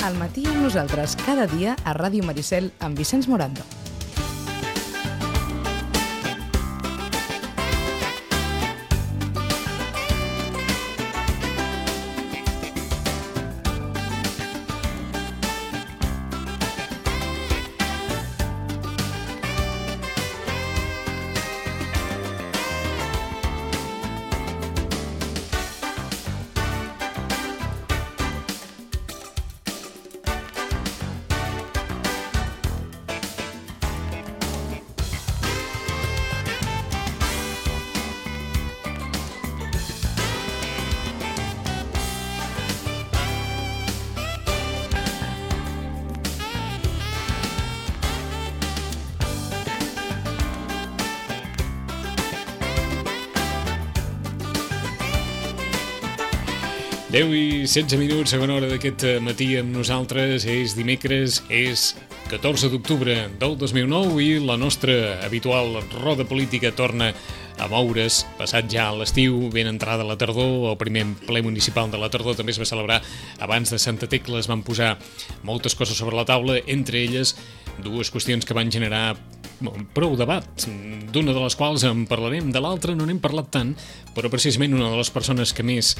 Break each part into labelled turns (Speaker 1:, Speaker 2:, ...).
Speaker 1: Al matí amb nosaltres, cada dia a Ràdio Maricel amb Vicenç Morando.
Speaker 2: Deu i 16 minuts, segona hora d'aquest matí amb nosaltres. És dimecres, és 14 d'octubre del 2009 i la nostra habitual roda política torna a moure's. Passat ja l'estiu, ben entrada la tardor, el primer ple municipal de la tardor també es va celebrar abans de Santa Tecla. Es van posar moltes coses sobre la taula, entre elles dues qüestions que van generar prou debat, d'una de les quals en parlarem, de l'altra no n'hem parlat tant, però precisament una de les persones que més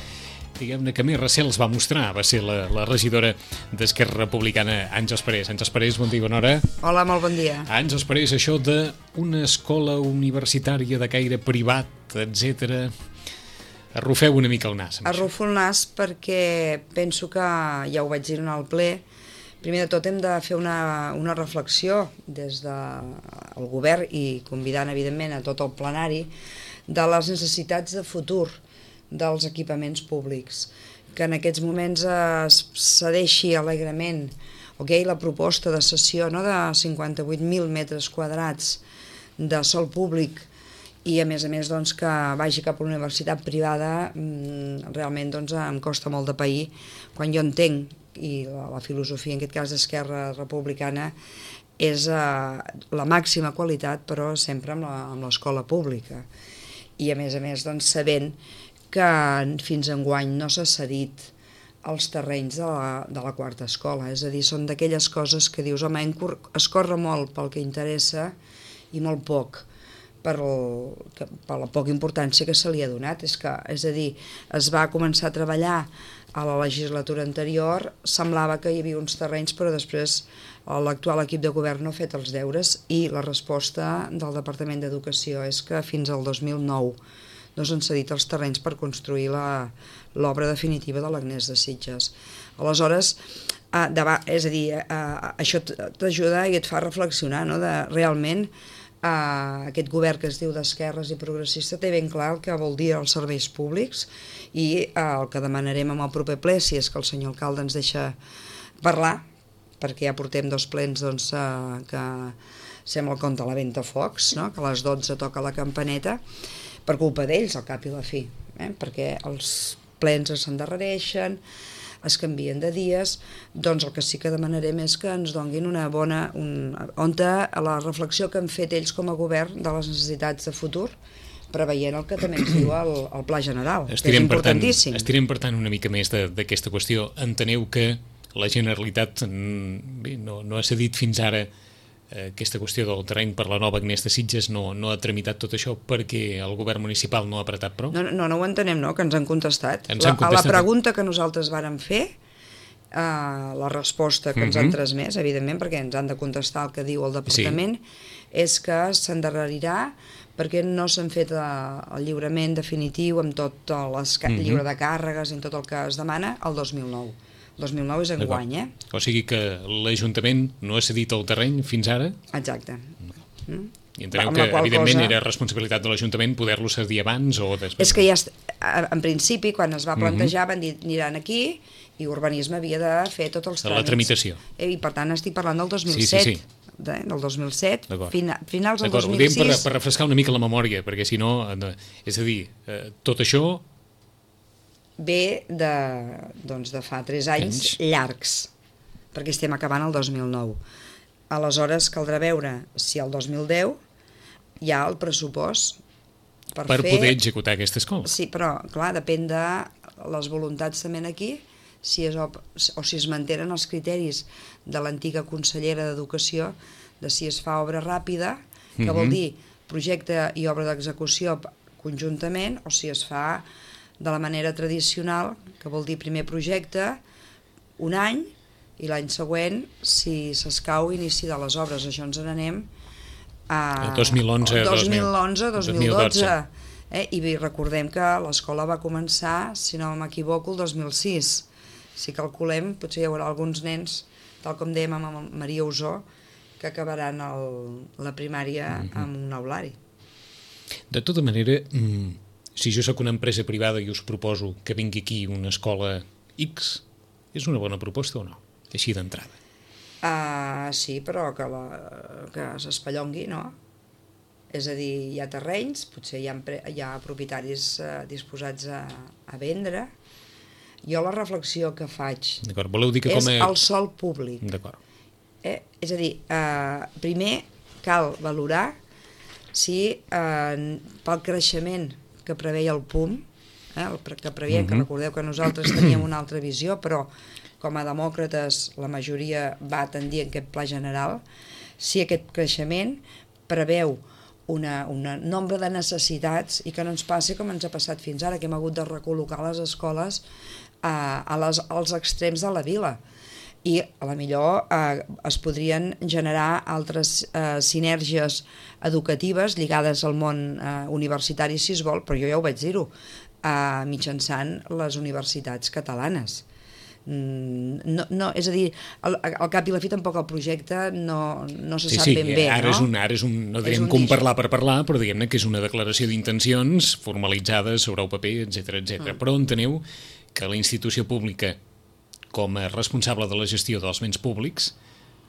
Speaker 2: recels va mostrar va ser la regidora d'Esquerra Republicana, Àngels Parés. Àngels Parés, bon dia, bona hora.
Speaker 3: Hola, molt bon dia.
Speaker 2: Àngels Parés, això d'una escola universitària de caire privat, etc. Arrufeu una mica el nas.
Speaker 3: Arrufo el nas perquè penso que, ja ho vaig dir en el ple, primer de tot hem de fer una reflexió des del govern i convidant, evidentment, a tot el plenari de les necessitats de futur dels equipaments públics, que en aquests moments es cedeixi alegrement la proposta de cessió de 58.000 metres quadrats de sòl públic i a més que vagi cap a una universitat privada. Realment em costa molt de pair quan jo entenc, i la filosofia en aquest cas d'Esquerra Republicana és la màxima qualitat, però sempre amb l'escola pública, i a més sabent que fins enguany no s'ha cedit els terrenys de la quarta escola. És a dir, són d'aquelles coses que dius, home, es corre molt pel que interessa i molt poc per la poca importància que se li ha donat. És a dir, es va començar a treballar a la legislatura anterior, semblava que hi havia uns terrenys, però després l'actual equip de govern no ha fet els deures i la resposta del Departament d'Educació és que fins al 2009 no s'han cedit els terrenys per construir l'obra definitiva de l'Agnès de Sitges. Aleshores, és a dir, això t'ajuda i et fa reflexionar, de realment aquest govern que es diu d'esquerres i progressista té ben clar el que vol dir els serveis públics, i el que demanarem amb el proper ple, si és que el senyor alcalde ens deixa parlar, perquè ja portem 2 plens que sembla el conte a la Ventafocs, que a les 12 toca la campaneta, per culpa d'ells, al cap i la fi, perquè els plens s'endarrereixen, es canvien de dies. Doncs el que sí que demanarem és que ens donguin una bona... la reflexió que han fet ells com a govern de les necessitats de futur, preveient el que també ens diu el Pla General, que és importantíssim.
Speaker 2: Estirem, per tant, una mica més d'aquesta qüestió. Enteneu que la Generalitat no ha cedit fins ara aquesta qüestió del terreny per la nova Agnès de Sitges, no ha tramitat tot això perquè el govern municipal no ha apretat prou?
Speaker 3: No ho entenem, que ens han contestat. A la pregunta que nosaltres vàrem fer, la resposta que ens han transmès, evidentment, perquè ens han de contestar el que diu el departament, és que s'endarrerirà perquè no s'han fet el lliurament definitiu amb tot el llibre de càrregues i tot el que es demana el 2009. 2009 és enguany,
Speaker 2: O sigui que l'Ajuntament no ha cedit el terreny fins ara?
Speaker 3: Exacte.
Speaker 2: I enteneu que, evidentment, era responsabilitat de l'Ajuntament poder-lo cedir abans o després?
Speaker 3: És que ja, en principi, quan es va plantejar, van dir, aniran aquí, i Urbanisme havia de fer tots els tràmits.
Speaker 2: La tramitació.
Speaker 3: I, per tant, estic parlant del 2007.
Speaker 2: Sí.
Speaker 3: Del 2007, finals del 2006...
Speaker 2: Ho diem per refrescar una mica la memòria, perquè si no... És a dir, tot això...
Speaker 3: ve de fa 3 anys llargs, perquè estem acabant el 2009. Aleshores caldrà veure si el 2010 hi ha el pressupost per
Speaker 2: poder executar aquesta escola.
Speaker 3: Sí, però clar, depèn de les voluntats també aquí, si es mantenen els criteris de l'antiga consellera d'Educació de si es fa obra ràpida, que vol dir projecte i obra d'execució conjuntament, o si es fa de la manera tradicional, que vol dir primer projecte, un any, i l'any següent, si s'escau, inici de les obres. Això ens n'anem a
Speaker 2: 2011,
Speaker 3: 2012. I recordem que l'escola va començar, si no m'equivoco, el 2006. Si calculem, potser hi haurà alguns nens, tal com dèiem amb Maria Usó, que acabaran la primària amb un aulari.
Speaker 2: De tota manera, si jo sóc una empresa privada i us proposo que vingui aquí una escola X, és una bona proposta o no? Així d'entrada.
Speaker 3: Sí, però que s'espallongui, no? És a dir, hi ha terrenys, potser hi ha propietaris disposats a vendre. Jo la reflexió que faig és el sòl públic.
Speaker 2: D'acord.
Speaker 3: És a dir, primer cal valorar si pel creixement que preveia el PUM, que preveiem, que recordeu que nosaltres teníem una altra visió, però com a demòcrates la majoria va tendir en aquest pla general, si aquest creixement preveu un nombre de necessitats i que no ens passi com ens ha passat fins ara, que hem hagut de recol·locar les escoles als extrems de la vila. I a la millor es podrien generar altres sinergies educatives lligades al món universitari, si es vol, però jo ja ho vaig dir-ho, mitjançant les universitats catalanes. No, és a dir, al cap i la fi tampoc el projecte no se sap ben bé.
Speaker 2: Ara és un no direm com parlar per parlar, però diguem-ne que és una declaració d'intencions formalitzada sobre el paper, etc. Però enteneu que la institució pública, com a responsable de la gestió dels béns públics,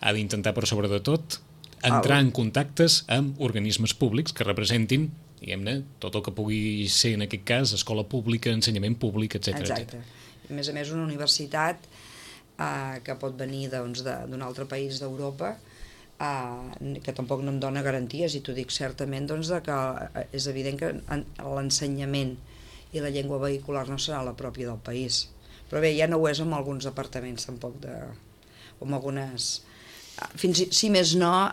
Speaker 2: ha d'intentar, per sobre de tot, entrar en contactes amb organismes públics que representin, diguem-ne, tot el que pugui ser, en aquest cas, escola pública, ensenyament públic, etc.
Speaker 3: Exacte. A més, una universitat que pot venir d'un altre país d'Europa, que tampoc no em dona garanties, i t'ho dic certament, que és evident que l'ensenyament i la llengua vehicular no serà la pròpia del país. Però bé, ja no ho és amb alguns departaments tampoc, o amb algunes... Si més no,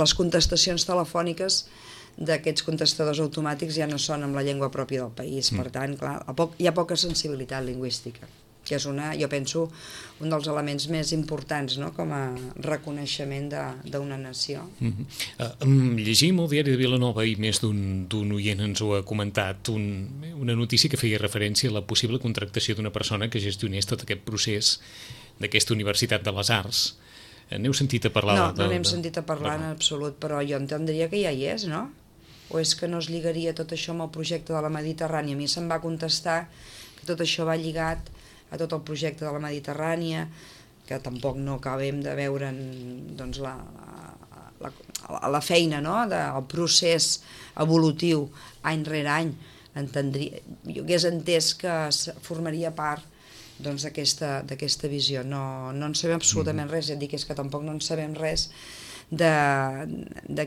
Speaker 3: les contestacions telefòniques d'aquests contestadors automàtics ja no són amb la llengua pròpia del país. Per tant, clar, hi ha poca sensibilitat lingüística, que és jo penso, un dels elements més importants, no?, com a reconeixement d'una nació.
Speaker 2: Llegim el diari de Vilanova, i més d'un oient ens ho ha comentat, una notícia que feia referència a la possible contractació d'una persona que gestionés tot aquest procés d'aquesta Universitat de les Arts. N'heu sentit a parlar?
Speaker 3: No n'hem sentit a parlar en absolut, però jo entendria que ja hi és, no? O és que no es lligaria tot això amb el projecte de la Mediterrània? A mi se'm va contestar que tot això va lligat a tot el projecte de la Mediterrània, que tampoc no acabem de veure doncs, la feina, no?, del procés evolutiu any rere any. Jo hagués entès que formaria part doncs, d'aquesta visió. No en sabem absolutament res, ja et dic, és que tampoc no en sabem res de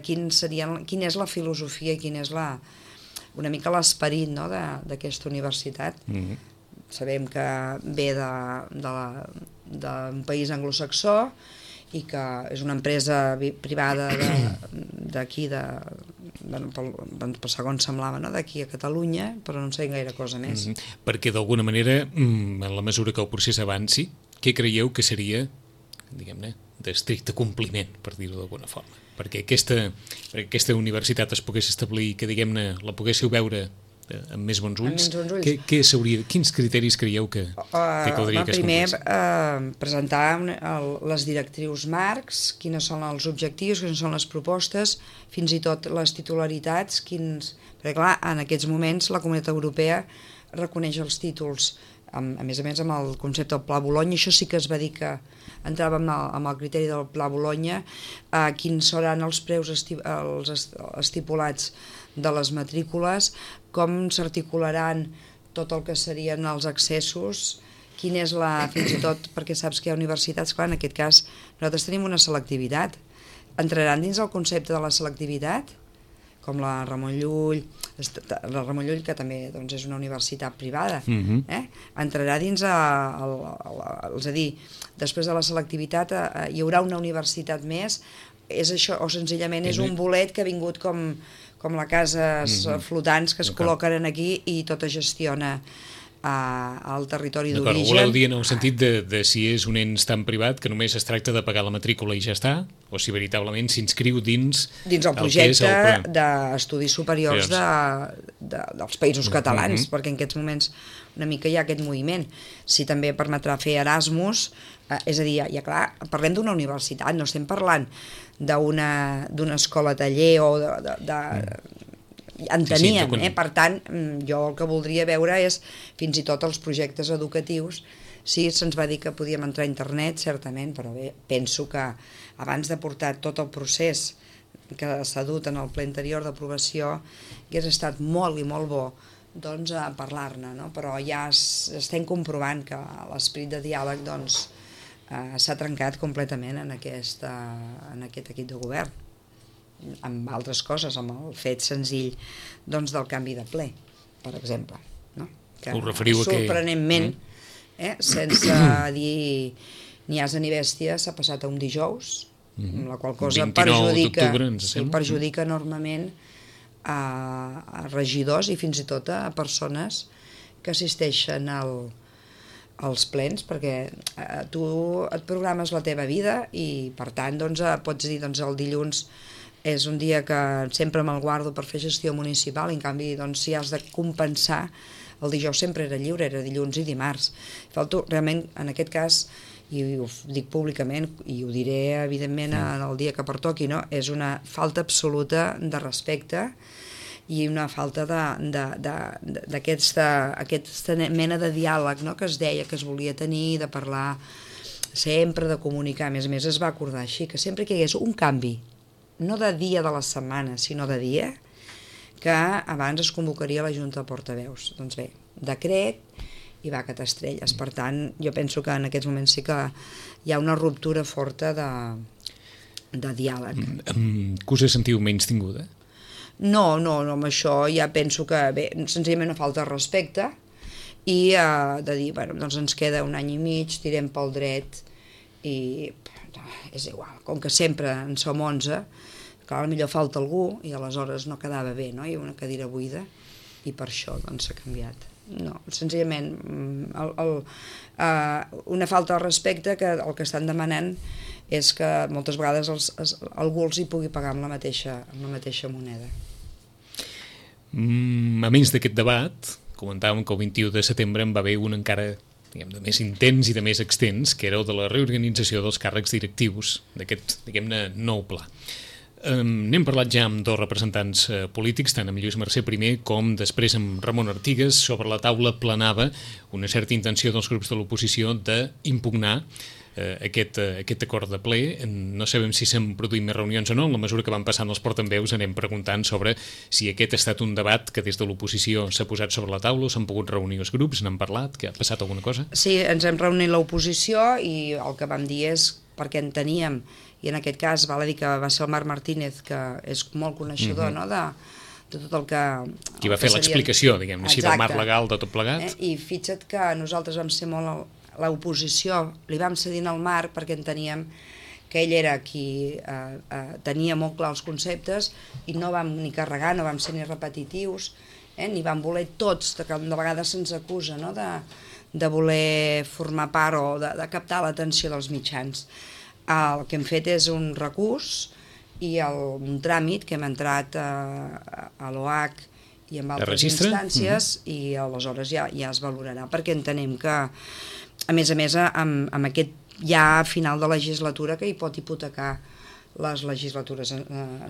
Speaker 3: quina és la filosofia i quin és una mica l'esperit, no?, d'aquesta universitat. Sabem que ve d'un país anglosaxó i que és una empresa privada d'aquí, per segons semblava, no?, d'aquí a Catalunya, però no en sabem gaire cosa més.
Speaker 2: Perquè d'alguna manera, en la mesura que el procés avanci, què creieu que seria, diguem-ne, d'estricte compliment, per dir-ho d'alguna forma? Perquè aquesta universitat es pogués establir, que diguem-ne la poguéssiu veure amb més bons ulls, quins criteris creieu que caldria que es complís?
Speaker 3: Primer, presentar les directrius marcs, quins són els objectius, quines són les propostes, fins i tot les titularitats, perquè clar, en aquests moments la Comunitat Europea reconeix els títols, a més amb el concepte del Pla Bologna. Això sí que es va dir que entrava amb el criteri del Pla Bologna, quins seran els preus estipulats de les matrícules, com s'articularan tot el que serien els accessos, quin és fins i tot, perquè saps que hi ha universitats, clar, en aquest cas nosaltres tenim una selectivitat. Entraran dins el concepte de la selectivitat? com la Ramon Llull, que també doncs, és una universitat privada, entrarà dins és a dir, després de la selectivitat hi haurà una universitat més, és això, o senzillament és un bolet que ha vingut com les cases flotants que es col·loquen aquí i tot es gestiona al territori d'origen.
Speaker 2: Ho voleu dir en el sentit de si és un ens tan privat que només es tracta de pagar la matrícula i ja està, o si veritablement s'inscriu dins
Speaker 3: el projecte d'estudis superiors dels països catalans, perquè en aquests moments una mica hi ha aquest moviment. Si també permetrà fer Erasmus, és a dir, ja clar, parlem d'una universitat, no estem parlant d'una escola taller o enteníem, per tant, jo el que voldria veure és fins i tot els projectes educatius. Sí, se'ns va dir que podíem entrar a internet, certament, però bé, penso que abans de portar tot el procés que s'ha dut en el ple anterior d'aprovació hagués estat molt i molt bo doncs a parlar-ne, no? Però ja estem comprovant que l'esperit de diàleg doncs s'ha trencat completament en aquest equip de govern, amb altres coses, amb el fet senzill doncs, del canvi de ple, per exemple, no? Que sorprenentment, sense dir ni asa ni bèstia, s'ha passat a un dijous, amb la qual cosa perjudica enormement a regidors i fins i tot a persones que assisteixen als plens, perquè tu et programes la teva vida i per tant doncs, pots dir doncs, el dilluns és un dia que sempre me'l guardo per fer gestió municipal, i en canvi doncs, si has de compensar, el dijous sempre era lliure, era dilluns i dimarts. Falto realment, en aquest cas, i ho dic públicament i ho diré evidentment el dia que pertoqui, no? És una falta absoluta de respecte i una falta d'aquesta mena de diàleg, no? Que es deia que es volia tenir, de parlar sempre, de comunicar. A més, es va acordar així, que sempre que hi hagués un canvi, no de dia de la setmana, sinó de dia, que abans es convocaria la Junta de Portaveus. Doncs bé, decret i va catar estrelles. Per tant, jo penso que en aquests moments sí que hi ha una ruptura forta de diàleg.
Speaker 2: Que us sentiu menys tinguda?
Speaker 3: No, amb això ja penso que, bé, senzillament una falta de respecte i de dir, bueno, doncs ens queda un any i mig, tirem pel dret i és igual, com que sempre en som 11, clar, potser falta algú i aleshores no quedava bé, no? Hi ha una cadira buida i per això doncs s'ha canviat. No, senzillament una falta de respecte que el que estan demanant és que moltes vegades algú els hi pugui pagar amb la mateixa moneda.
Speaker 2: A més d'aquest debat, comentàvem que el 21 de setembre en va haver un encara de més intens i de més extens, que era el de la reorganització dels càrrecs directius d'aquest, diguem-ne, nou pla. N'hem parlat ja amb dos representants polítics, tant amb Lluís Mercè primer com després amb Ramon Artigas. Sobre la taula planava una certa intenció dels grups de l'oposició d'impugnar aquest acord de ple. No sabem si s'han produït més reunions o no. En la mesura que van passant els portaveus anem preguntant sobre si aquest ha estat un debat que des de l'oposició s'ha posat sobre la taula, o s'han pogut reunir els grups, n'han parlat, que ha passat alguna cosa?
Speaker 3: Sí, ens hem reunit l'oposició i el que vam dir és perquè enteníem, i en aquest cas val a dir que va ser el Marc Martínez, que és molt coneixedor, no?, de tot el que...
Speaker 2: Qui va fer l'explicació, diguem-ne així, del marc legal de tot plegat.
Speaker 3: I fixa't que nosaltres vam ser molt... L'oposició li vam cedir al Marc perquè enteníem que ell era qui tenia molt clar els conceptes i no vam ni carregar, no vam ser ni repetitius, ni vam voler tots, que de vegades se'ns acusa, no?, de voler formar part o de captar l'atenció dels mitjans. El que hem fet és un recurs i un tràmit que hem entrat a l'OH i en altres instàncies i aleshores ja es valorarà, perquè entenem que, a més, amb aquest ja final de legislatura que hi pot hipotecar les legislatures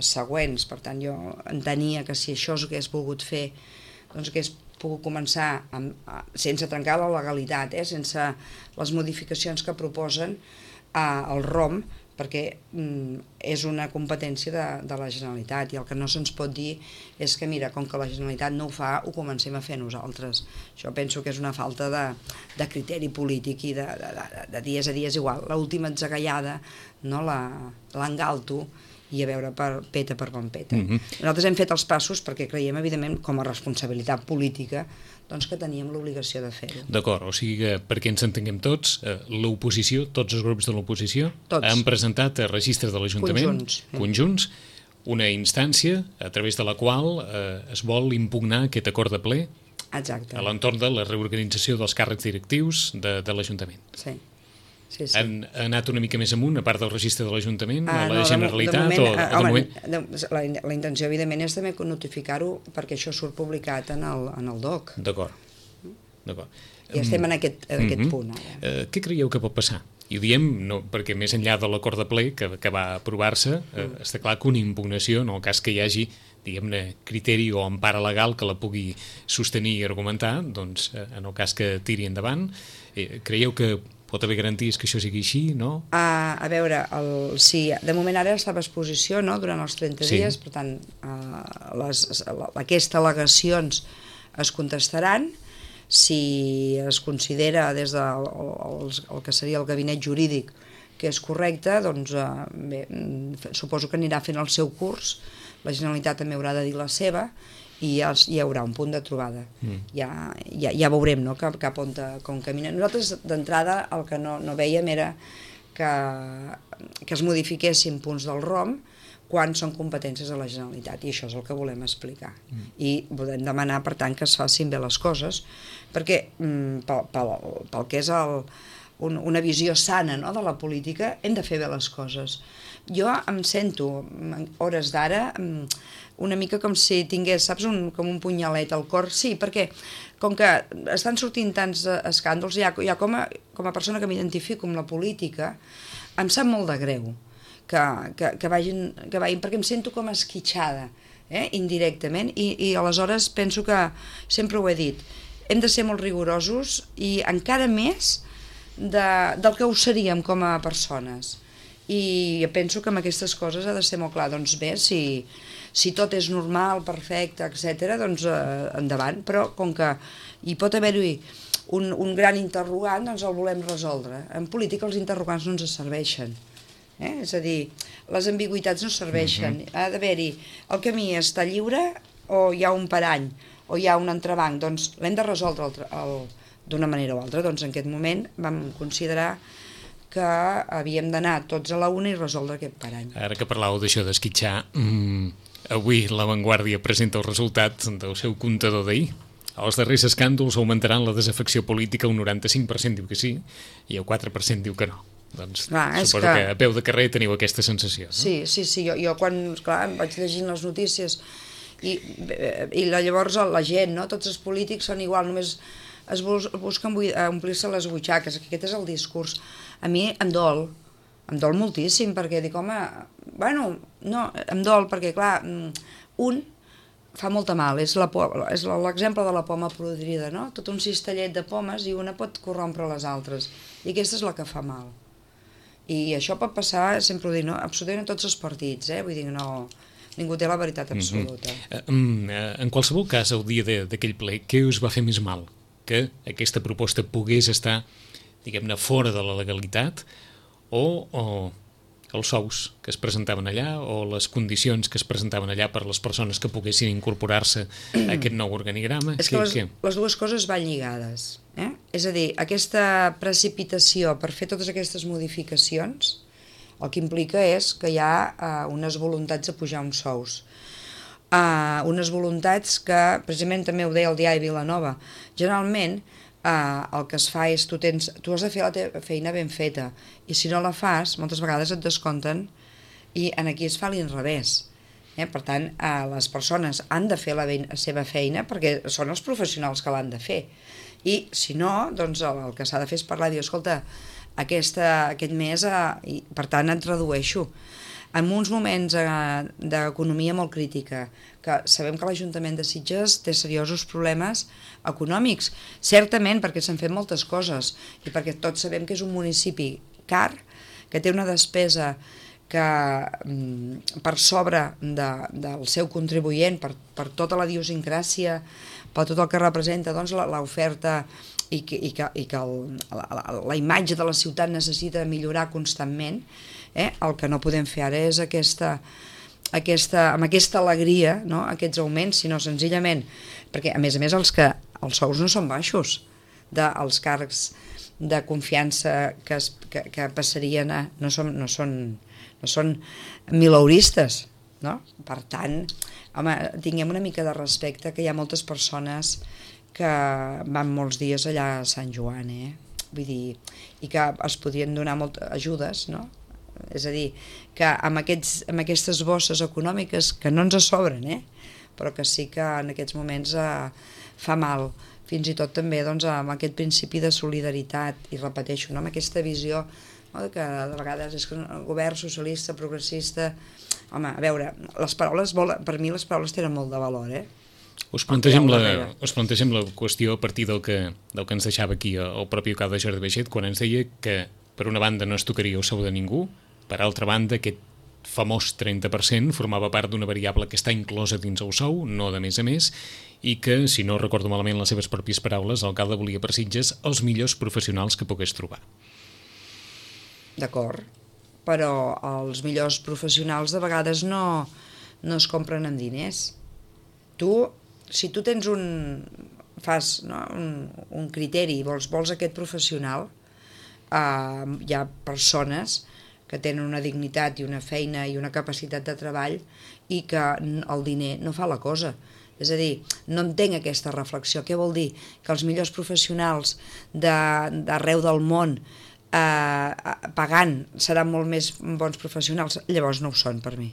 Speaker 3: següents. Per tant, jo entenia que si això s'hagués volgut fer, doncs hagués pogut començar sense trencar la legalitat, sense les modificacions que proposen el ROM, perquè és una competència de la Generalitat i el que no se'ns pot dir és que, mira, com que la Generalitat no ho fa, ho comencem a fer nosaltres. Això penso que és una falta de criteri polític i de dies a dies igual. L'última atzagaiada, no, l'engalto i a veure peta per on peta. Nosaltres hem fet els passos perquè creiem, evidentment, com a responsabilitat política, doncs que teníem l'obligació de fer-ho.
Speaker 2: D'acord, o sigui que perquè ens entenguem tots, l'oposició, tots els grups de l'oposició han presentat a registres de l'Ajuntament conjunts, una instància a través de la qual es vol impugnar aquest acord de ple a l'entorn de la reorganització dels càrrecs directius de l'Ajuntament.
Speaker 3: Sí.
Speaker 2: Han anat una mica més amunt, a part del registre de l'Ajuntament, a la Generalitat?
Speaker 3: La intenció, evidentment, és també notificar-ho perquè això surt publicat en el DOC.
Speaker 2: D'acord.
Speaker 3: I estem en aquest punt ara.
Speaker 2: Què creieu que pot passar? I ho diem perquè més enllà de l'acord de ple que va aprovar-se, està clar que una impugnació, en el cas que hi hagi diguem-ne, criteri o empara legal que la pugui sostenir i argumentar, doncs en el cas que tiri endavant, creieu que pot haver garanties que això sigui així, no?
Speaker 3: A veure, sí, de moment ara està a exposició, no?, durant els 30 dies, per tant, aquestes al·legacions es contestaran. Si es considera des del que seria el gabinet jurídic que és correcte, doncs bé, suposo que anirà fent el seu curs, la Generalitat també haurà de dir la seva, i hi haurà un punt de trobada. Ja veurem, no?, cap on camina. Nosaltres, d'entrada, el que no veiem era que es modifiquessin punts del ROM quan són competències de la Generalitat, i això és el que volem explicar. I volem demanar, per tant, que es facin bé les coses, perquè pel que és una visió sana, no?, de la política, hem de fer bé les coses. Jo em sento, hores d'ara, una mica com si tingués, saps, com un punyalet al cor. Sí, perquè com que estan sortint tants escàndols, ja com a persona que m'identifico amb la política, em sap molt de greu que vagin, perquè em sento com esquitxada, indirectament, i aleshores penso que, sempre ho he dit, hem de ser molt rigorosos i encara més del que ho seríem com a persones. I penso que amb aquestes coses ha de ser molt clar. Doncs bé, si tot és normal, perfecte, etc., doncs endavant, però com que hi pot haver-hi un gran interrogant, doncs el volem resoldre. En política els interrogants no ens serveixen. És a dir, les ambigüitats no serveixen. Ha d'haver-hi, el camí està lliure o hi ha un parany o hi ha un entrebanc, doncs l'hem de resoldre d'una manera o altra. Doncs en aquest moment vam considerar que havíem d'anar tots a la una i resoldre aquest parany.
Speaker 2: Ara que parlàveu d'això d'esquitxar, avui La Vanguardia presenta el resultat del seu comptador d'ahir. Els darrers escàndols augmentaran la desafecció política, un 95% diu que sí i el 4% diu que no. Doncs suposo que a peu de carrer teniu aquesta sensació, no?
Speaker 3: Sí, jo quan vaig llegint les notícies i llavors la gent, no? Tots els polítics són igual, només es busquen omplir-se les butxaques, aquest és el discurs. A mi em dol moltíssim, perquè dic, home, bueno, no, em dol perquè, clar, un fa molta mal, és l'exemple de la poma podrida, no? Tot un cistellet de pomes i una pot corrompre les altres, i aquesta és la que fa mal. I això pot passar, sempre ho dic, no? Absolutament a tots els partits, vull dir, no, ningú té la veritat absoluta.
Speaker 2: En qualsevol cas, el dia d'aquell ple, què us va fer més mal? Que aquesta proposta pogués estar, diguem-ne, fora de la legalitat, o els sous que es presentaven allà, o les condicions que es presentaven allà per les persones que poguessin incorporar-se a aquest nou organigrama?
Speaker 3: És que les dues coses van lligades. És a dir, aquesta precipitació per fer totes aquestes modificacions, el que implica és que hi ha unes voluntats de pujar uns sous. Unes voluntats que, precisament també ho deia el diari Vilanova, generalment el que es fa és tu has de fer la teva feina ben feta, i si no la fas, moltes vegades et descompten, i aquí es fa l'inrevés. Per tant, les persones han de fer la seva feina perquè són els professionals que l'han de fer, i si no, doncs el que s'ha de fer és parlar i dir, escolta, aquest mes, i per tant et redueixo. En uns moments d'economia molt crítica, que sabem que l'Ajuntament de Sitges té seriosos problemes econòmics, certament perquè s'han fet moltes coses i perquè tots sabem que és un municipi car, que té una despesa que per sobre del seu contribuent, per tota la idiosincràsia, per tot el que representa l'oferta la imatge de la ciutat necessita millorar constantment, el que no podem fer ara és amb aquesta alegria, no? Aquests augments, sinó senzillament, perquè a més els sous no són baixos, els càrrecs de confiança que passarien no són mileuristes, no? Per tant, home, tinguem una mica de respecte, que hi ha moltes persones que van molts dies allà a Sant Joan, vull dir, i que es podien donar moltes ajudes, no? És a dir, que amb aquestes bosses econòmiques que no ens sobren, però que sí que en aquests moments fa mal, fins i tot també amb aquest principi de solidaritat, i repeteixo, amb aquesta visió que de vegades és que el govern socialista, progressista... Home, a veure, per mi les paraules tenen molt de valor,
Speaker 2: Us plantegem la qüestió a partir del que ens deixava aquí el propi alcalde Jordi Baiget, quan ens deia que per una banda no es tocaria el sou de ningú, per altra banda aquest famós 30% formava part d'una variable que està inclosa dins el sou, no de més a més, i que, si no recordo malament les seves pròpies paraules, l'alcalde volia per Sitges els millors professionals que pogués trobar.
Speaker 3: D'acord, però els millors professionals de vegades no es compren amb diners. Si tu tens un criteri, vols aquest professional, hi ha persones que tenen una dignitat i una feina i una capacitat de treball i que el diner no fa la cosa. És a dir, no entenc aquesta reflexió. Què vol dir? Que els millors professionals d'arreu del món pagant seran molt més bons professionals? Llavors no ho són per mi.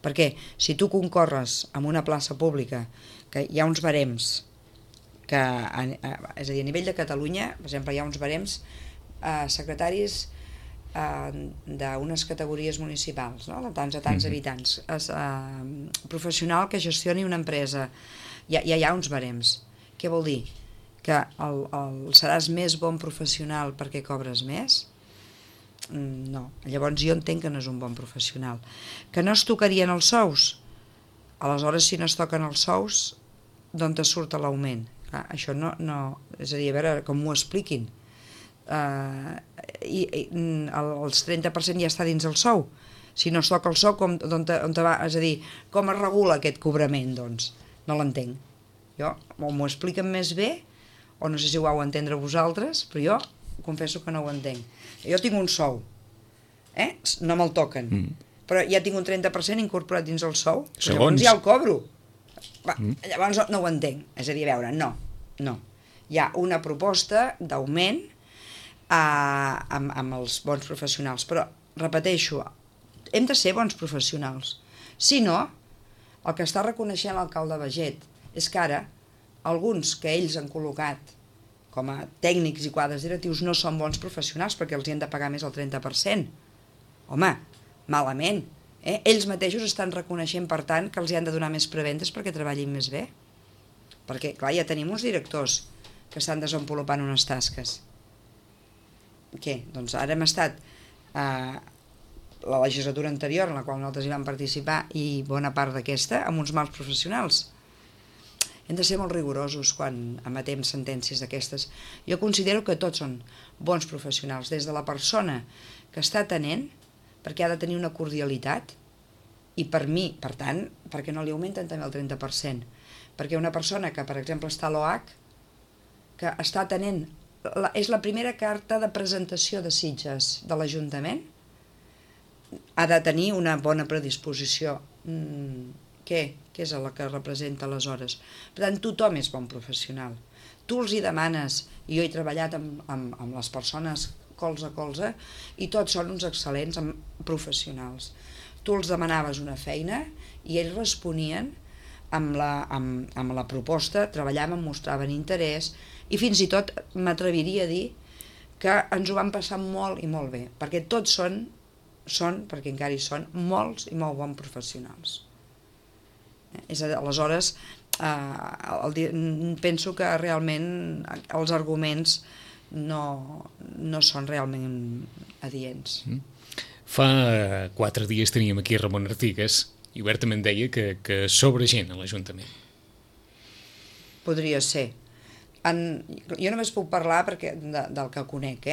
Speaker 3: Perquè si tu concorres en una plaça pública, que hi ha uns barems, és a dir, a nivell de Catalunya, per exemple, hi ha uns barems secretaris d'unes categories municipals, no? De tants a tants habitants, professional que gestioni una empresa, ja hi ha uns barems. Què vol dir? Que seràs més bon professional perquè cobres més? No. Llavors jo entenc que no és un bon professional. Que no es tocarien els sous? Aleshores, si no es toquen els sous, d'on te surt l'augment? Això no... És a dir, a veure, com m'ho expliquin. Els 30% ja està dins el sou. Si no es toca el sou, on te va? És a dir, com es regula aquest cobrament, doncs? No l'entenc. Jo, o m'ho expliquen més bé, o no sé si ho vau entendre vosaltres, però jo confesso que no ho entenc. Jo tinc un sou, no me'l toquen, però ja tinc un 30% incorporat dins el sou, llavors ja el cobro. Llavors no ho entenc. És a dir, a veure, no. Hi ha una proposta d'augment amb els bons professionals, però repeteixo, hem de ser bons professionals. Si no, el que està reconeixent l'alcalde Baiget és que ara alguns que ells han col·locat com a tècnics i quadres directius no són bons professionals perquè els hi han de pagar més el 30%. Home, malament. Ells mateixos estan reconeixent, per tant, que els hi han de donar més preventes perquè treballin més bé. Perquè, clar, ja tenim uns directors que estan desenvolupant unes tasques. Què? Doncs ara hem estat la legislatura anterior, en la qual nosaltres hi vam participar, i bona part d'aquesta, amb uns mals professionals. Hem de ser molt rigorosos quan emetem sentències d'aquestes. Jo considero que tots són bons professionals, des de la persona que està atenent, perquè ha de tenir una cordialitat, i per mi, per tant, perquè no li augmenten també el 30%. Perquè una persona que, per exemple, està a l'OH, que està atenent, és la primera carta de presentació de Sitges de l'Ajuntament, ha de tenir una bona predisposició. Què és el que representa aleshores? Per tant, tothom és bon professional. Tu els hi demanes, i jo he treballat amb les persones colze a colze, i tots són uns excel·lents professionals. Tu els demanaves una feina i ells responien amb la proposta, treballaven, mostraven interès, i fins i tot m'atreviria a dir que ens ho van passar molt i molt bé, perquè tots són, perquè encara hi són, molts i molt bons professionals. Aleshores, penso que realment els arguments no són realment adients.
Speaker 2: Fa 4 dies teníem aquí Ramon Artigas i obertament deia que sobra gent a l'Ajuntament.
Speaker 3: Podria ser. Jo només puc parlar del que conec,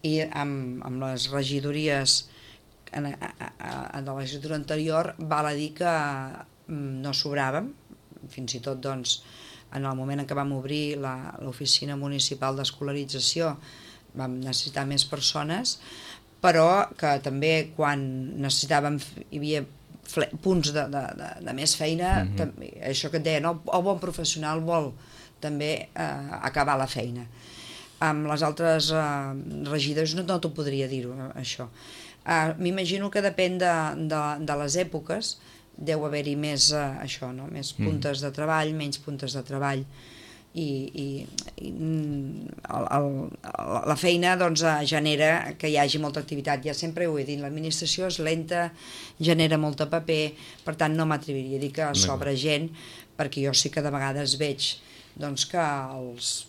Speaker 3: i amb les regidories en la legislatura anterior val a dir que no sobràvem, fins i tot doncs, en el moment en què vam obrir l'oficina municipal d'escolarització vam necessitar més persones, però que també quan necessitàvem hi havia punts de més feina, això que et deia, no? El bon professional vol també acabar la feina. Amb les altres regidors no t'ho podria dir, això. M'imagino que depèn de les èpoques, deu haver-hi més això, no? Més puntes de treball, menys puntes de treball, i la feina doncs, genera que hi hagi molta activitat. Ja sempre ho he dit, l'administració és lenta, genera molta paper, per tant no m'atreviria a dir que sobra gent, perquè jo sí que de vegades veig doncs, que els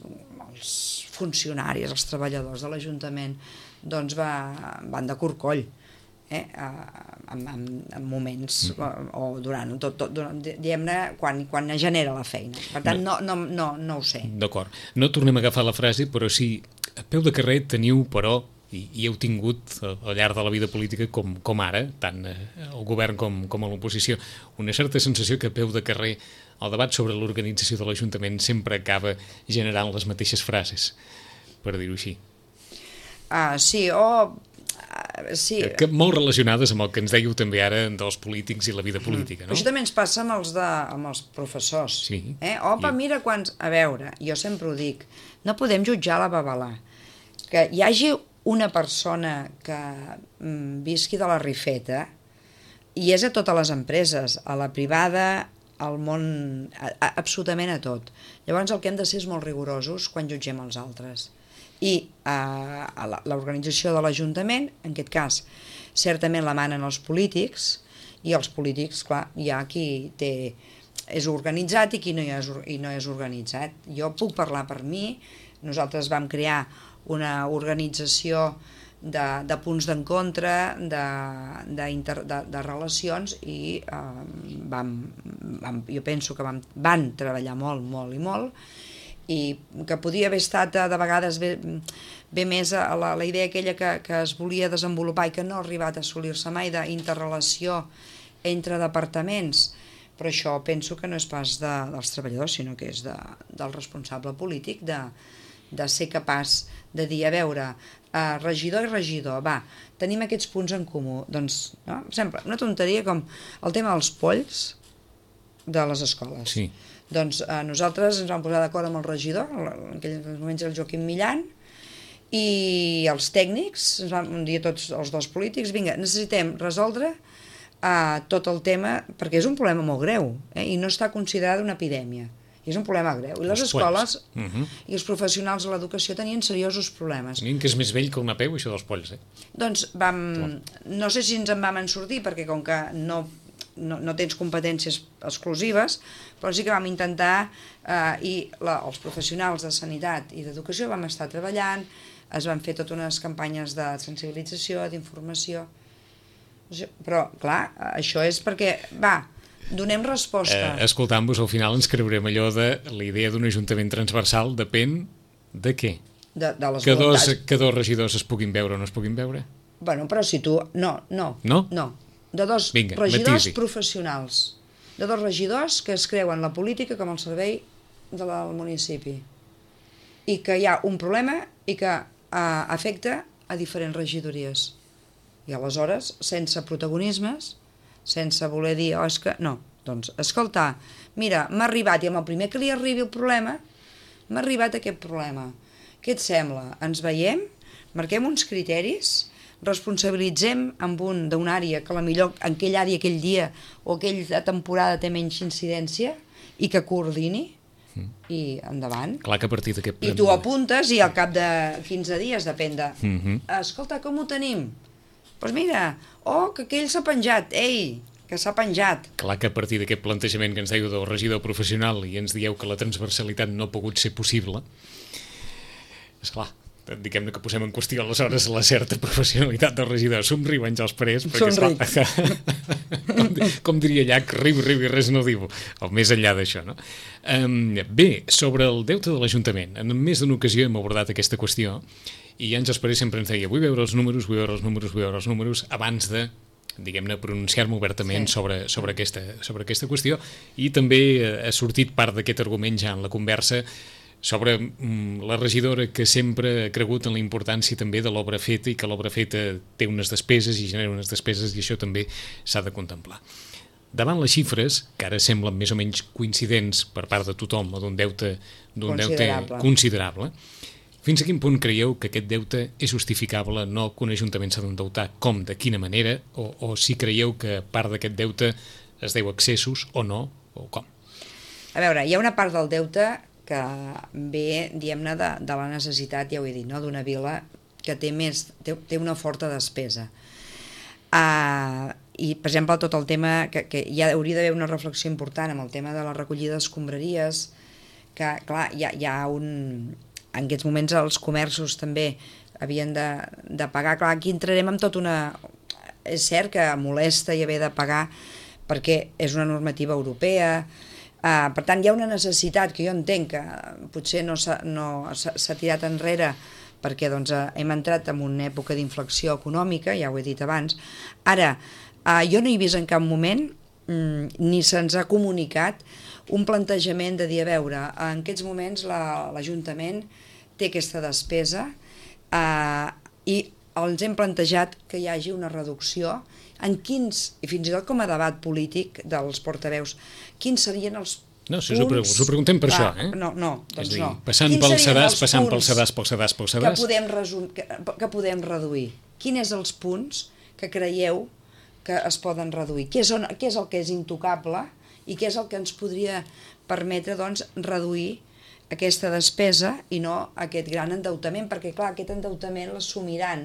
Speaker 3: funcionaris, els treballadors de l'Ajuntament doncs, van de corcoll, en moments o durant diguem-ne, quan genera la feina. Per tant, no ho sé.
Speaker 2: D'acord. No tornem a agafar la frase, però sí, a peu de carrer teniu, però, i heu tingut al llarg de la vida política com ara, tant el govern com a l'oposició, una certa sensació que a peu de carrer el debat sobre l'organització de l'Ajuntament sempre acaba generant les mateixes frases, per dir-ho així.
Speaker 3: Sí, sí.
Speaker 2: Que molt relacionades amb el que ens dèieu també ara dels polítics i la vida política, no?
Speaker 3: Això també ens passa amb els professors.
Speaker 2: Sí.
Speaker 3: Opa, mira quants... A veure, jo sempre ho dic, no podem jutjar la babalà. Que hi hagi una persona que visqui de la rifeta, i és a totes les empreses, a la privada, al món, absolutament a tot. Llavors el que hem de ser és molt rigorosos quan jutgem els altres. I l'organització de l'Ajuntament, en aquest cas, certament la manen els polítics, i els polítics, clar, hi ha qui és organitzat i qui no és organitzat. Jo puc parlar per mi, nosaltres vam crear una organització de punts d'encontre, de relacions, i jo penso que van treballar molt, molt i molt, i que podia haver estat de vegades bé més a la idea aquella que es volia desenvolupar i que no ha arribat a assolir-se mai, d'interrelació entre departaments, però això penso que no és pas dels treballadors, sinó que és del responsable polític, de ser capaç de dir, a veure, regidor i regidor, va, tenim aquests punts en comú, doncs, no? Per exemple, una tonteria com el tema dels polls de les escoles.
Speaker 2: Sí.
Speaker 3: Doncs nosaltres ens vam posar d'acord amb el regidor, en aquells moments era el Joaquim Millan, i els tècnics, ens vam dir tots els dos polítics, vinga, necessitem resoldre tot el tema, perquè és un problema molt greu, i no està considerada una epidèmia, i és un problema greu. I les escoles i els professionals de l'educació tenien seriosos problemes.
Speaker 2: Tenien que és més vell que una peu, això dels polls,
Speaker 3: Doncs no sé si ens en vam sortir, perquè com que no tens competències exclusives, però sí que vam intentar, i els professionals de sanitat i d'educació vam estar treballant, es van fer totes unes campanyes de sensibilització, d'informació, però clar, això és perquè, donem resposta.
Speaker 2: Escoltant-vos, al final ens creurem allò de la idea d'un ajuntament transversal depèn de què?
Speaker 3: De les voluntats.
Speaker 2: Que dos regidors es puguin veure o no es puguin veure?
Speaker 3: Bueno, però si tu... No. De dos regidors professionals, de dos regidors que es creuen la política com el servei del municipi, i que hi ha un problema i que afecta a diferents regidories. I aleshores, sense protagonismes, sense voler dir, és que... No, doncs, escolta, mira, m'ha arribat, i amb el primer que li arribi el problema, m'ha arribat aquest problema. Què et sembla? Ens veiem? Marquem uns criteris? Responsabilitzem amb d'una àrea que millor en aquella àrea aquell dia o aquella temporada té menys incidència i que coordini i endavant.
Speaker 2: Clar que a partir d'aquest...
Speaker 3: I tu apuntes i al cap de 15 dies, depèn de... Escolta, com ho tenim? Doncs mira, que aquell s'ha penjat, que s'ha penjat.
Speaker 2: Clar que a partir d'aquest plantejament que ens dèieu del regidor professional i ens dieu que la transversalitat no ha pogut ser possible, esclar, diguem-ne que posem en qüestió aleshores la certa professionalitat del regidor. Somriu, Àngels Parés, perquè
Speaker 3: Somric.
Speaker 2: com diria Llach, riu i res no diu, o més enllà d'això, no? Bé, sobre el deute de l'Ajuntament, en més d'una ocasió hem abordat aquesta qüestió i Àngels Parés sempre ens deia vull veure els números abans de, diguem-ne, pronunciar-me obertament sobre aquesta qüestió, i també ha sortit part d'aquest argument ja en la conversa sobre la regidora que sempre ha cregut en la importància també de l'obra feta i que l'obra feta té unes despeses i genera unes despeses i això també s'ha de contemplar. Davant les xifres, que ara semblen més o menys coincidents per part de tothom o d'un deute considerable, fins a quin punt creieu que aquest deute és justificable, no que un ajuntament s'ha d'endeutar, com, de quina manera, o si creieu que part d'aquest deute es deu a excessos o no, o com?
Speaker 3: A veure, hi ha una part del deute que ve, diguem-ne, de la necessitat, ja ho he dit, no? D'una vila que té una forta despesa. I, per exemple, tot el tema, que ja hauria d'haver una reflexió important amb el tema de la recollida d'escombraries, que, clar, hi ha en aquests moments els comerços també havien de pagar. Clar, aquí entrarem amb tot una... És cert que molesta i haver de pagar perquè és una normativa europea. Per tant, hi ha una necessitat que jo entenc que potser no s'ha tirat enrere perquè doncs, hem entrat en una època d'inflexió econòmica, ja ho he dit abans. Ara, jo no he vist en cap moment, ni se'ns ha comunicat, un plantejament de dir, a veure, en aquests moments l'Ajuntament té aquesta despesa i ens hem plantejat que hi hagi una reducció en quins, i fins i tot com a debat polític dels portaveus, quins serien els punts...
Speaker 2: No, si us ho preguntem per això, eh?
Speaker 3: No, doncs
Speaker 2: dir,
Speaker 3: no.
Speaker 2: Passant pel sedàs
Speaker 3: que podem reduir. Quins és els punts que creieu que es poden reduir? Què és el que és intocable i què és el que ens podria permetre doncs, reduir aquesta despesa i no aquest gran endeutament? Perquè, clar, aquest endeutament l'assumiran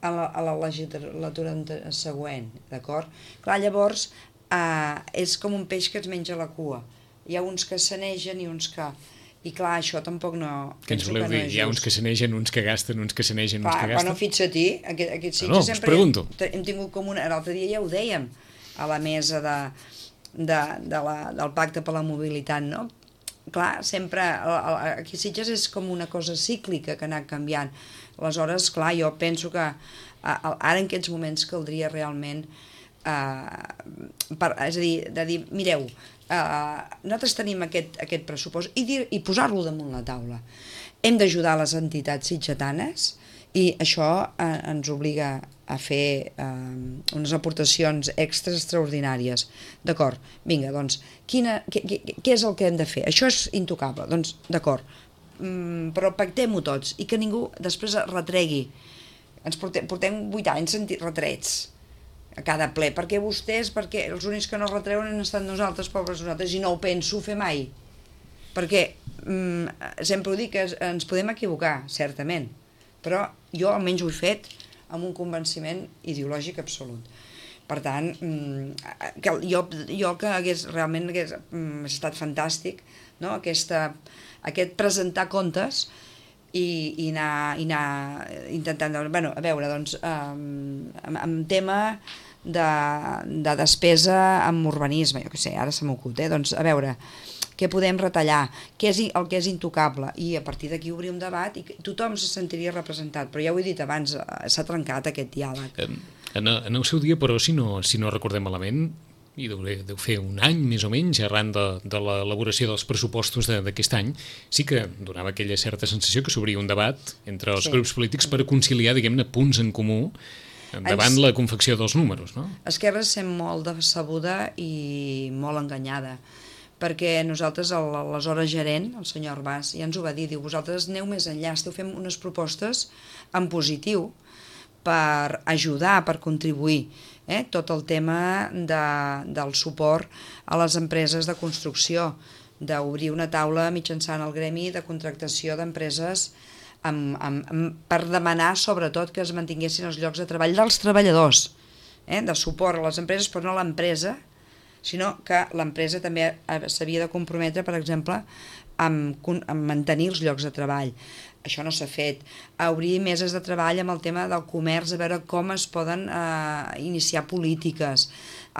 Speaker 3: a la legislatura següent, d'acord? Clar, llavors és com un peix que es menja la cua. Hi ha uns que sanegen i uns que... I clar, això tampoc no...
Speaker 2: Què ens voleu dir? Hi ha uns que sanegen, uns que gasten, uns que sanegen, uns que gasten?
Speaker 3: Bueno, fixa't-hi, aquests
Speaker 2: Sitges sempre... us pregunto.
Speaker 3: Hem tingut com una... L'altre dia ja ho dèiem, a la mesa del Pacte per la Mobilitat, no? Clar, sempre... Aquí Sitges és com una cosa cíclica que ha anat canviant. Aleshores, clar, jo penso que ara en aquests moments caldria realment és a dir, de dir, mireu, nosaltres tenim aquest pressupost i posar-lo damunt la taula. Hem d'ajudar les entitats sitgetanes i això ens obliga a fer unes aportacions extraordinàries. D'acord, vinga, doncs, què és el que hem de fer? Això és intocable, doncs, d'acord, però pactem-ho tots i que ningú després retregui. Ens portem 8 anys sentint retrets a cada ple, perquè els únics que no retreuen han estat nosaltres, pobres nosaltres, i no ho penso fer mai, perquè sempre ho dic, que ens podem equivocar, certament, però jo almenys ho he fet amb un convenciment ideològic absolut. Per tant, jo que realment hagués estat fantàstic, no? Aquest presentar comptes i anar intentant... Bueno, a veure, doncs, en tema de despesa en urbanisme, jo què sé, ara se m'ocut, doncs, a veure, què podem retallar, què és el que és intocable, i a partir d'aquí obrir un debat i tothom se sentiria representat, però ja ho he dit abans, s'ha trencat aquest diàleg.
Speaker 2: En el seu dia, però, si no recordem malament, i deu fer un any més o menys arran de l'elaboració dels pressupostos d'aquest any, sí que donava aquella certa sensació que s'obria un debat entre els grups polítics per conciliar, diguem-ne, punts en comú davant la confecció dels números, no?
Speaker 3: Esquerra es sent molt decebuda i molt enganyada, perquè nosaltres, l'aleshores gerent, el senyor Arbàs, ja ens ho va dir, diu, vosaltres aneu més enllà, esteu fent unes propostes en positiu per ajudar, per contribuir, tot el tema del suport a les empreses de construcció, d'obrir una taula mitjançant el gremi de contractació d'empreses per demanar sobretot que es mantinguessin els llocs de treball dels treballadors, de suport a les empreses, però no a l'empresa, sinó que l'empresa també s'havia de comprometre, per exemple, amb mantenir els llocs de treball. Això no s'ha fet. Obrir meses de treball amb el tema del comerç, a veure com es poden iniciar polítiques.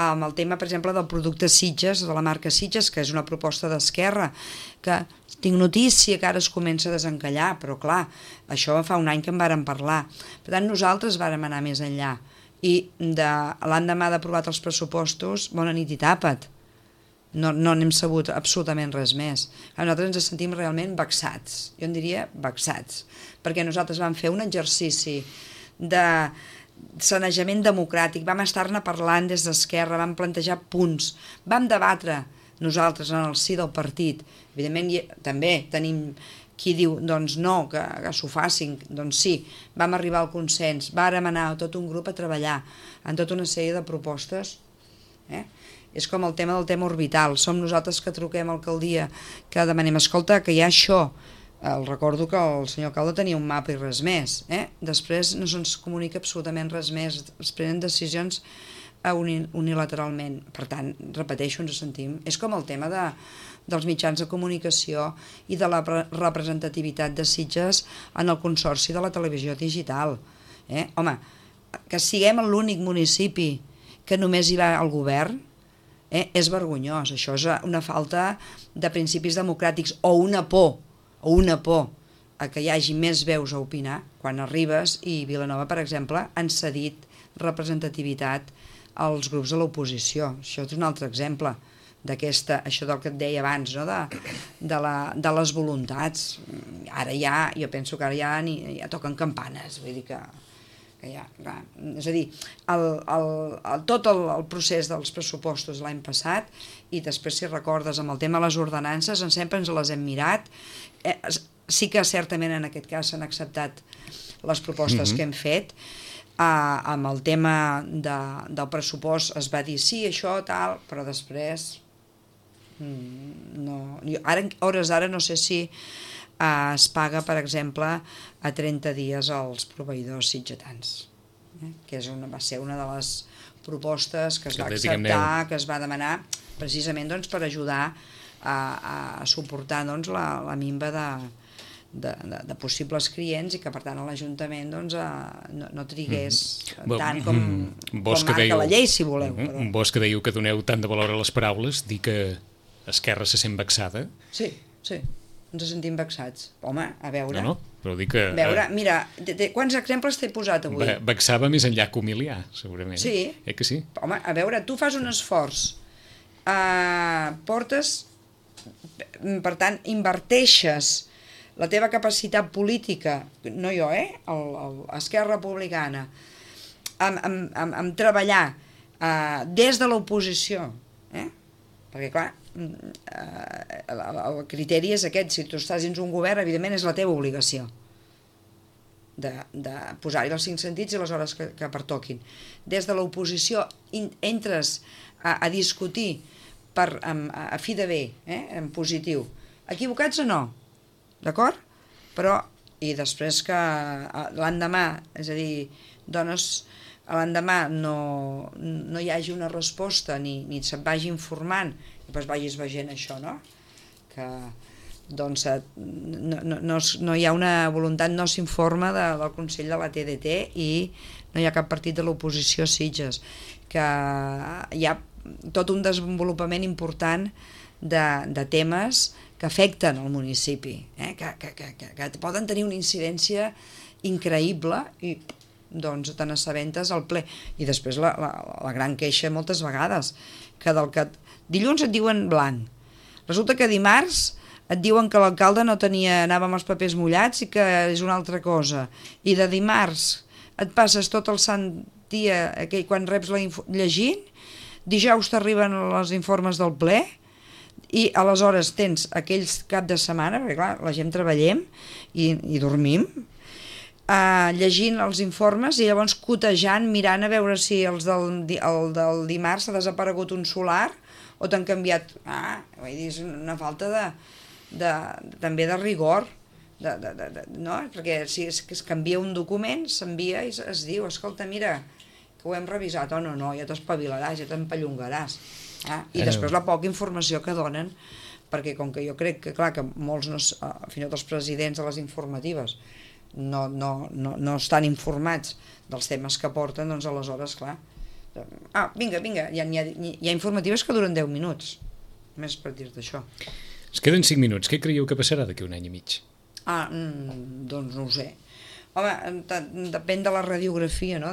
Speaker 3: Amb el tema, per exemple, del producte Sitges, de la marca Sitges, que és una proposta d'Esquerra, que tinc notícia que ara es comença a desencallar, però clar, això fa un any que en vàrem parlar. Per tant, nosaltres vàrem anar més enllà. I l'endemà d'aprovat els pressupostos, bona nit i tapa't. No n'hem sabut absolutament res més. Nosaltres ens sentim realment vexats, jo en diria vexats, perquè nosaltres vam fer un exercici de sanejament democràtic, vam estar-ne parlant des d'Esquerra, vam plantejar punts, vam debatre nosaltres en el si del partit. Evidentment també tenim qui diu doncs no, que s'ho facin, doncs sí, vam arribar al consens, vàrem anar tot un grup a treballar en tota una sèrie de propostes, És com el tema del tema orbital. Som nosaltres que truquem a l'alcaldia, que demanem, escolta, que hi ha això. El recordo que el senyor alcalde tenia un mapa i res més. Després no se'ns comunica absolutament res més. Es prenen decisions unilateralment. Per tant, repeteixo, ens sentim. És com el tema dels mitjans de comunicació i de la representativitat de Sitges en el consorci de la televisió digital. Home, que siguem l'únic municipi que només hi va al govern, és vergonyós. Això és una falta de principis democràtics o una por a que hi hagi més veus a opinar quan arribes, i Vilanova, per exemple, han cedit representativitat als grups de l'oposició. Això és un altre exemple això del que et deia abans, no? de les voluntats. Ara ja, jo penso que ara ja toquen campanes, vull dir que ja, clar. És a dir, tot el procés dels pressupostos l'any passat, i després, si recordes, amb el tema de les ordenances, sempre ens les hem mirat. Sí que certament en aquest cas s'han acceptat les propostes que hem fet. Amb el tema del pressupost es va dir sí, això, tal, però després a hores d'ara no sé si es paga, per exemple, a 30 dies als proveïdors sitgetans, que va ser una de les propostes que es va acceptar, que es va demanar precisament per ajudar a suportar la minva de possibles clients, i que per tant l'Ajuntament no trigués tant com marca la llei, si voleu.
Speaker 2: Vos que dèieu que doneu tant de valor a les paraules, dir que Esquerra se sent vexada?
Speaker 3: Sí, ens sentim vexats. Home, a veure...
Speaker 2: No, però dic que...
Speaker 3: Mira, quants exemples t'he posat avui?
Speaker 2: Vexava més enllà que humiliar, segurament.
Speaker 3: Sí.
Speaker 2: Que sí?
Speaker 3: Home, a veure, tu fas un esforç, portes, per tant, inverteixes la teva capacitat política, no jo, Esquerra Republicana, amb treballar des de l'oposició, perquè, clar, el criteri és aquest: si tu estàs dins un govern, evidentment és la teva obligació de posar-hi els 5 sentits i les hores que pertoquin. Des de l'oposició entres a discutir a fi de bé, en positiu, equivocats o no, d'acord? Però, i després que l'endemà, és a dir, l'endemà no hi hagi una resposta ni se't vagi informant, i després vagis veient això, no? Que no hi ha una voluntat, no s'informa del Consell de la TDT i no hi ha cap partit de l'oposició a Sitges, que hi ha tot un desenvolupament important de temes que afecten el municipi, que poden tenir una incidència increïble, i doncs te n'assabentes al ple. I després la gran queixa moltes vegades, que dilluns et diuen blanc, resulta que dimarts et diuen que l'alcalde anava amb els papers mullats i que és una altra cosa, i de dimarts et passes tot el sant dia quan reps llegint, dijous t'arriben els informes del ple, i aleshores tens aquells cap de setmana, perquè clar, la gent treballem i dormim, llegint els informes i llavors cotejant, mirant a veure si el del dimarts s'ha desaparegut un solar o t'han canviat. Vull dir, és una falta també de rigor, no? Perquè si es canvia un document, s'envia i es diu, escolta, mira, que ho hem revisat, no, ja t'espavilaràs, ja t'empallongaràs. I després la poca informació que donen perquè com que jo crec que, clar, que molts, fins i tot els presidents de les informatives no estan informats dels temes que porten, doncs aleshores, clar, vinga, hi ha informatives que duren 10 minuts, més per dir-te això.
Speaker 2: Es queden 5 minuts, què creieu que passarà d'aquí un any i mig?
Speaker 3: Doncs no ho sé. Home, depèn de la radiografia, no?,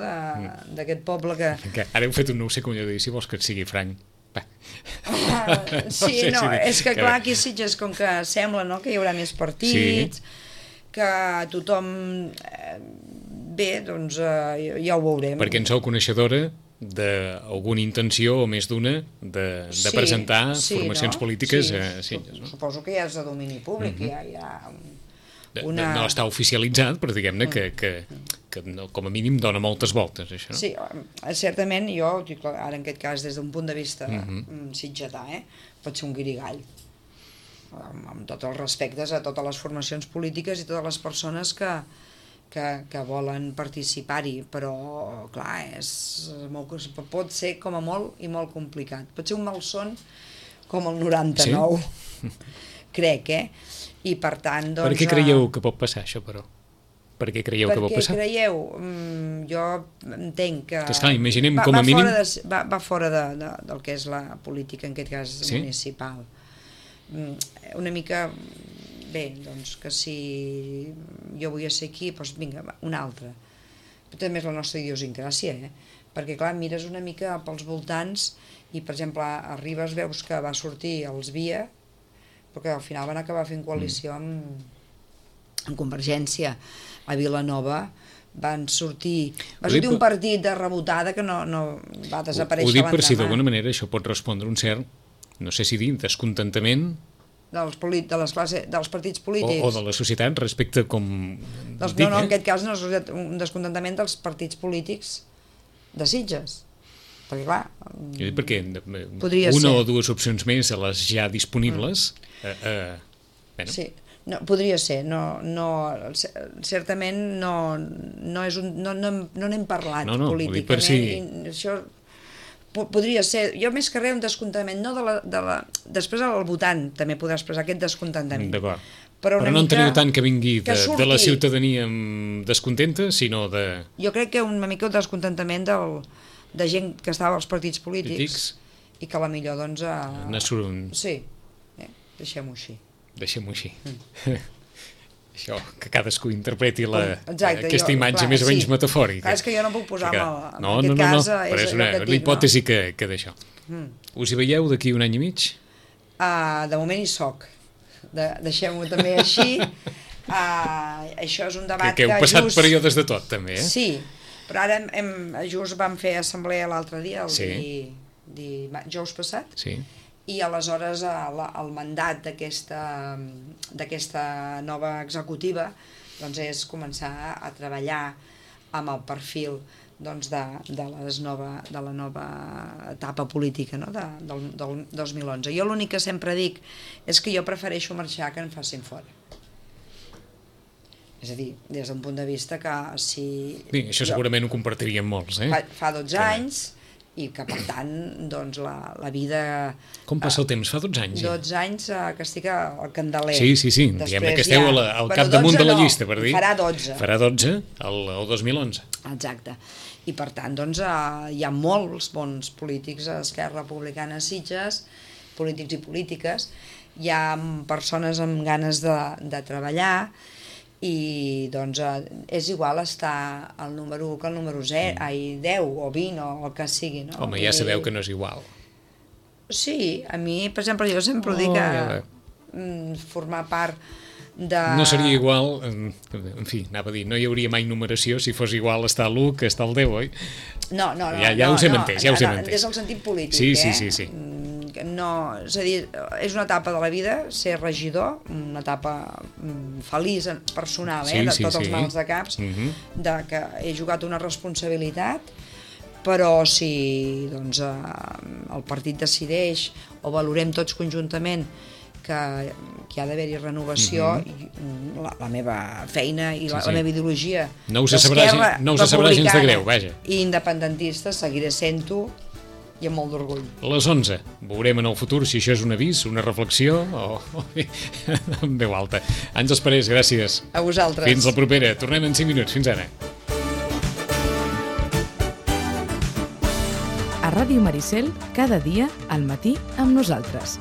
Speaker 3: d'aquest poble que...
Speaker 2: Ara heu fet un no ho sé com jo dir, si vols que et sigui franc.
Speaker 3: Sí, no, és que clar, aquí a Sitges, com que sembla, no?, que hi haurà més partits, que tothom... Bé, doncs ja ho veurem.
Speaker 2: Perquè en sou coneixedora d'alguna intenció, o més d'una, de presentar formacions polítiques a Sitges, no?
Speaker 3: Suposo que ja és de domini públic, hi ha...
Speaker 2: No està oficialitzat, però diguem-ne que com a mínim dona moltes voltes, això.
Speaker 3: Sí, certament, jo, ara en aquest cas, des d'un punt de vista sitgetà, pot ser un guirigall, amb tots els respectes a totes les formacions polítiques i totes les persones que volen participar-hi, però, clar, pot ser com a molt i molt complicat. Pot ser un malson com el 99, crec, i per tant, doncs...
Speaker 2: Per què creieu que pot passar això, però? Per què creieu que pot passar?
Speaker 3: Per què creieu? Jo entenc que...
Speaker 2: Esclar, imaginem com a mínim...
Speaker 3: Va fora del que és la política, en aquest cas municipal. Una mica... Bé, doncs que si jo vull ser aquí, doncs vinga, una altra. Però també és la nostra idiosincràsia, perquè clar, mires una mica pels voltants i, per exemple, a Ribes veus que va sortir els Via, però que al final van acabar fent coalició amb Convergència. A Vilanova va sortir un partit de rebotada que no va desaparèixer l'endemà.
Speaker 2: Ho dic per si d'alguna manera això pot respondre un cert, no sé si dir, descontentament
Speaker 3: dels partits polítics
Speaker 2: o de la societat respecte com
Speaker 3: no, en aquest cas no és un descontentament dels partits polítics de Sitges, perquè clar,
Speaker 2: perquè
Speaker 3: una
Speaker 2: o dues opcions més a les ja disponibles
Speaker 3: sí, no, podria ser, certament no n'hem parlat políticament, això podria ser, jo més que res un descontentament, no després el votant també podrà expressar aquest descontentament.
Speaker 2: D'acord. Però no enteniu tant que vingui de la ciutadania descontenta, sinó de...
Speaker 3: Jo crec que una mica un descontentament de gent que estava als partits polítics i que a la millor, doncs... Sí, deixem-ho així.
Speaker 2: Deixem-ho així. Això, que cadascú interpreti aquesta imatge més o menys metafòrica.
Speaker 3: És que jo no puc posar en aquest cas...
Speaker 2: No, però és una hipòtesi que d'això. Us hi veieu d'aquí un any i mig?
Speaker 3: De moment hi soc. Deixem-ho també així. Això és un debat
Speaker 2: que heu passat períodes de tot, també,
Speaker 3: Sí, però ara just vam fer assemblea l'altre dia, el dijous passat, i aleshores el mandat d'aquesta nova executiva doncs és començar a treballar amb el perfil doncs, de la nova etapa política, no? del 2011. Jo l'únic que sempre dic és que jo prefereixo marxar que em facin fora. És a dir, des d'un punt de vista que si...
Speaker 2: Bé, això segurament ho compartiríem molts,
Speaker 3: Fa 12 anys... i que, per tant, doncs, la vida...
Speaker 2: Com passa el temps? Fa 12 anys?
Speaker 3: 12 anys que estic al Candeler.
Speaker 2: Sí, diguem que esteu al capdamunt de la llista, per dir.
Speaker 3: Farà 12.
Speaker 2: Farà 12 el 2011.
Speaker 3: Exacte. I, per tant, doncs, hi ha molts bons polítics a Esquerra Republicana a Sitges, polítics i polítiques, hi ha persones amb ganes de treballar, i doncs és igual estar al número 1 que al número 10 o 20 o el que sigui, no?
Speaker 2: Home, ja sabeu que no és igual.
Speaker 3: Sí, a mi, per exemple, jo sempre dic que formar part de...
Speaker 2: No seria igual, en fi, anava a dir, no hi hauria mai numeració si fos igual estar l'1 que estar el 10, oi?
Speaker 3: No,
Speaker 2: ja us hem entès,
Speaker 3: des del sentit polític,
Speaker 2: Sí.
Speaker 3: No, és a dir, és una etapa de la vida ser regidor, una etapa feliç, personal, de tots els mals de caps, de que he jugat una responsabilitat, però si doncs, el partit decideix o valorem tots conjuntament que ha d'haver-hi renovació, la meva feina i la meva ideologia
Speaker 2: no us sabrà gens de greu, vaja.
Speaker 3: I independentista seguiré sent-ho i amb molt d'orgull.
Speaker 2: Les 11. Veurem en el futur si això és un avís, una reflexió o en veu alta. Àngels Parés, gràcies.
Speaker 3: A vosaltres.
Speaker 2: Fins la propera. Tornem en 5 minuts. Fins ara.
Speaker 1: A Ràdio Maricel, cada dia al matí amb nosaltres.